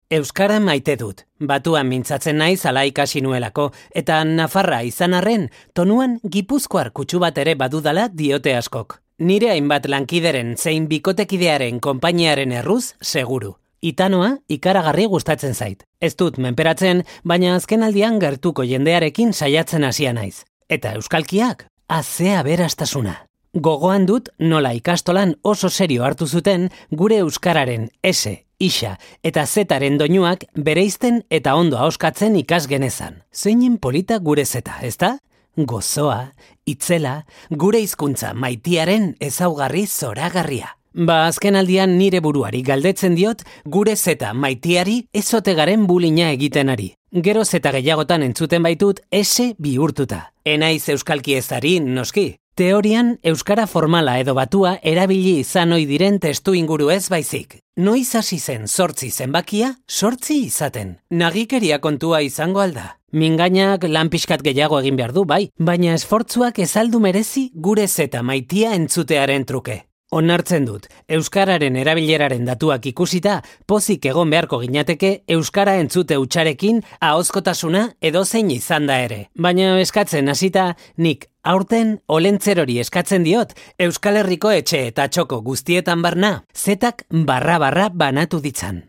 Euskara maite dut, batuan mintzatzen naiz ala ikasi nuelako, eta Nafarra izan arren, tonuan Gipuzkoar kutsu bat ere badudala diote askok. Nire hainbat lankideren zein bikotekidearen konpainiaren erruz, seguru. Itanoa ikaragarri gustatzen zait. Ez dut menperatzen, baina azkenaldian gertuko jendearekin saiatzen hasia naiz. Eta euskalkiak, azea berastasuna. Gogoan dut nola ikastolan oso serio hartu zuten gure euskararen S, isa eta zaren doinuak bereizten eta ondo ahoskatzen ikas genezan. Zeinen polita gure zeta, ezta? Gozoa, itzela, gure hizkuntza maitiaren ezaugarri zoragarria. Azkenaldian nire buruari galdetzen diot gure zeta maitiari ezotegaren bulina egiten ari. Gero zeta gehiagotan entzuten baitut S bihurtuta. Enaiz euskalki ezari, noski. Teorian, euskara formala edo batua erabili izan ohi diren testu inguru ez baizik. Noiz hasi zen 8 zenbakia, 8 izaten. Nagikeria kontua izango alda. Mingainak lan pixkat gehiago egin behar du, bai, baina esfortzuak ez aldu merezi gure zeta maitia entzutearen truke. Onartzen dut, euskararen erabileraren datuak ikusita, pozik egon beharko ginateke euskara entzute hutsarekin ahozkotasuna edozein izan da ere. Baina eskatzen hasita, nik aurten olentzerori eskatzen diot, Euskal Herriko etxe eta txoko guztietan barna, zetak barra banatu ditzan.